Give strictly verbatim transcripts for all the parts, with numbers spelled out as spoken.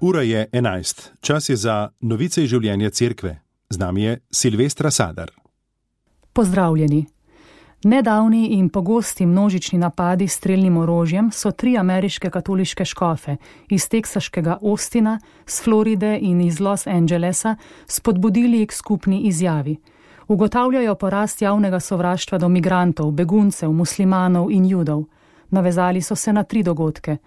Ura je enajst. Čas je za novice iz življenja cerkve. Z nami je Silvestra Sadar. Pozdravljeni. Nedavni in pogosti množični napadi s strelnim orožjem so tri ameriške katoliške škofe iz teksaškega Austina, z Floride in iz Los Angelesa spodbudili k skupni izjavi. Ugotavljajo porast javnega sovraštva do migrantov, beguncev, muslimanov in judov. Navezali so se na tri dogodke.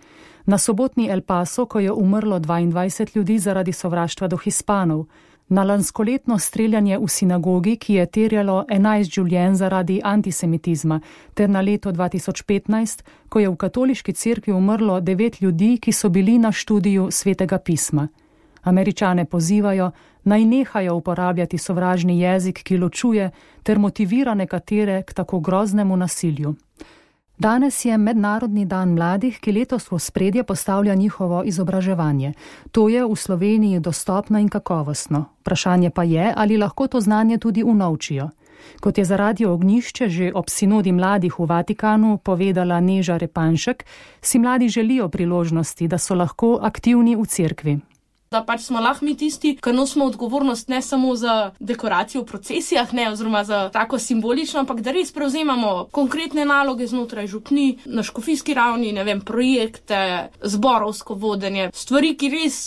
Na sobotni El Paso, ko je umrlo dvaindvajset ljudi zaradi sovraštva do Hispanov, na lanskoletno streljanje v sinagogi, ki je terjalo enajst življenj zaradi antisemitizma, ter na leto dva tisoč petnajst, ko je v katoliški cerkvi umrlo devet ljudi, ki so bili na študiju Svetega pisma. Američane pozivajo, naj nehajo uporabljati sovražni jezik, ki ločuje, ter motivira nekatere k tako groznemu nasilju. Danes je Mednarodni dan mladih, ki letos v ospredje postavlja njihovo izobraževanje. To je v Sloveniji dostopno in kakovostno. Vprašanje pa je, ali lahko to znanje tudi unovčijo. Kot je za Radio Ognjišče že ob sinodi mladih v Vatikanu povedala Neža Repanšek, si mladi želijo priložnosti, da so lahko aktivni v cerkvi. Da pač smo lahko mi tisti, ki nosimo odgovornost ne samo za dekoracijo v procesijah, ne, oziroma za tako simbolično, ampak da res prevzemamo konkretne naloge znotraj župni, na škofijski ravni, ne vem, projekte, zborovsko vodenje, stvari, ki res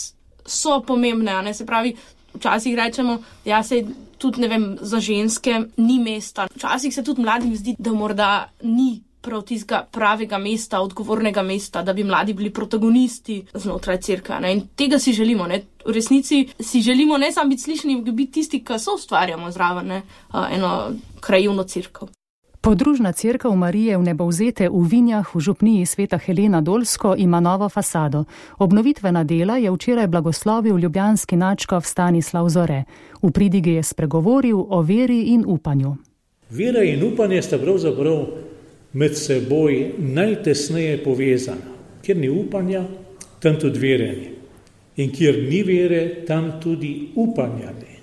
so pomembne, a ne, se pravi, včasih rečemo, ja, se tudi, ne vem, za ženske ni mesta. Včasih se tudi mladim zdi, da morda ni prav tistega pravega mesta, odgovornega mesta, da bi mladi bili protagonisti znotraj cerkve. Ne? In tega si želimo. Ne? V resnici si želimo ne samo biti slišani, biti tisti, ki so ustvarjamo zraven ne? eno krajevno cerkev. Podružna cerkev Marije Vnebovzete v Vinjah v župniji Sveta Helena Dolsko ima novo fasado. Obnovitvena dela je včeraj blagoslovil ljubljanski nadškof Stanislav Zore. V pridigi je spregovoril o veri in upanju. Vera in upanje sta pravzaprav med seboj najtesneje povezana. Kjer ni upanja, tam tudi vere ni. In kjer ni vere, tam tudi upanja ni.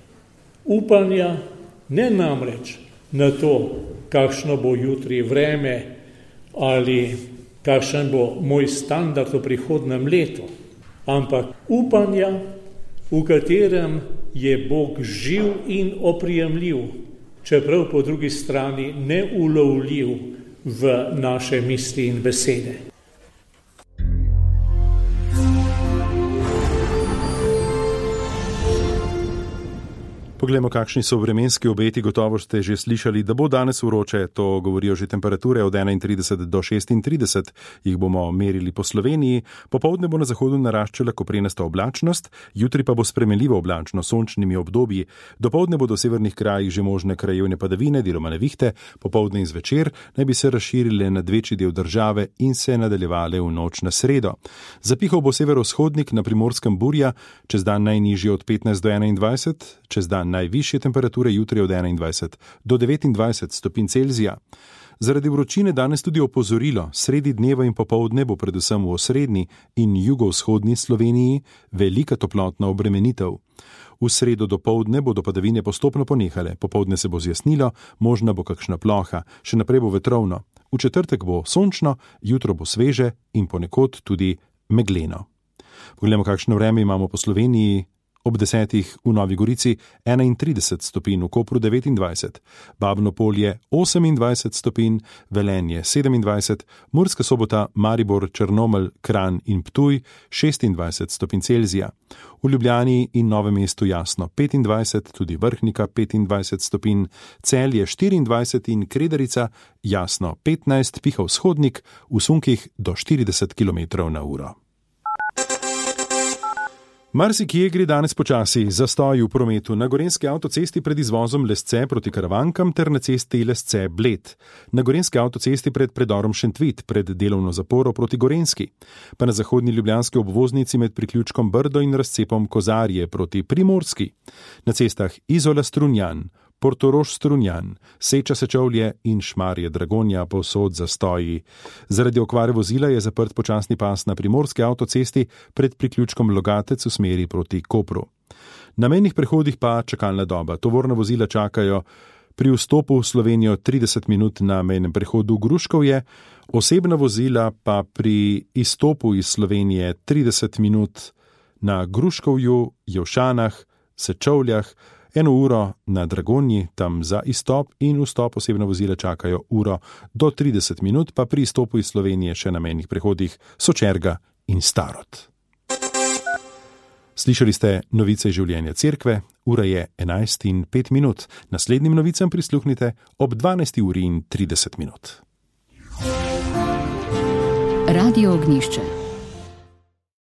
Upanja ne namreč na to, kakšno bo jutri vreme ali kakšen bo moj standard v prihodnem letu, ampak upanja, v katerem je Bog živ in oprijemljiv, čeprav po drugi strani neulovljiv v naše misli in besede. Poglejmo, kakšni so vremenski obeti. Gotovo ste že slišali, da bo danes vroče, to govorijo že temperature od enaintrideset do šestintrideset, jih bomo merili po Sloveniji. Popoldne bo na zahodu naraščala koprenasta oblačnost, jutri pa bo spremenljivo oblačno, sončnimi obdobji. Dopoldne bodo v severnih krajih že možne krajevne padavine, deloma nevihte, popoldne in zvečer naj bi se razširile nad večji del države in se nadaljevale v noč na sredo. Zapihal bo severovzhodnik, na Primorskem burja, čez dan najnižji od petnajst do enaindvajset, čez dan najvišje temperature jutri od enaindvajset do devetindvajset stopinj Celzija. Zaradi vročine danes tudi opozorilo, sredi dneva in popoldne bo predvsem v osrednji in jugovzhodni Sloveniji velika toplotna obremenitev. V sredo dopoldne bodo padavine postopno ponehale, popoldne se bo zjasnilo, možna bo kakšna ploha, še naprej bo vetrovno. V četrtek bo sončno, jutro bo sveže in ponekod tudi megleno. Poglejmo, kakšno vreme imamo po Sloveniji. Ob desetih v Novi Gorici enaintrideset stopinj, v Kopru devetindvajset, Babno Polje osemindvajset stopinj, Velenje sedemindvajset, Murska Sobota, Maribor, Črnomelj, Kranj in Ptuj šestindvajset stopinj Celzija. V Ljubljani in Novem mestu jasno petindvajset, tudi Vrhnika petindvajset stopinj, Celje štiriindvajset in Kredarica jasno petnajst, piha vzhodnik, v sunkih do štirideset kilometrov na uro. Marsikje gre danes počasi, zastoji v prometu na gorenjski avtocesti pred izvozom Lesce proti Karavankam ter na cesti Lesce-Bled, na gorenjski avtocesti pred predorom Šentvit, pred delovno zaporo proti Gorenjski, pa na zahodni ljubljanski obvoznici med priključkom Brdo in razcepom Kozarje proti Primorski, na cestah Izola-Strunjan, Portorož-Strunjan, Seča-Sečovlje in Šmarje-Dragonja povsod zastoji. Zaradi okvare vozila je zaprt počasni pas na primorski avtocesti pred priključkom Logatec v smeri proti Kopru. Na mejnih prehodih pa čakalna doba. Tovorna vozila čakajo pri vstopu v Slovenijo trideset minut na mejnem prehodu Gruškovje, osebna vozila pa pri izstopu iz Slovenije trideset minut na Gruškovju, Jevšanah, Sečovljah, eno uro na Dragonji, tam za izstop in vstop osebna vozila čakajo uro do trideset minut, pa pri izstopu iz Slovenije še na mejnih prehodih Sočerga in Starod. Slišali ste novice življenja cerkve, ura je enajst in pet minut. Naslednjim novicam prisluhnite ob dvanajsti uri in trideset minut. Radio Ognjišče.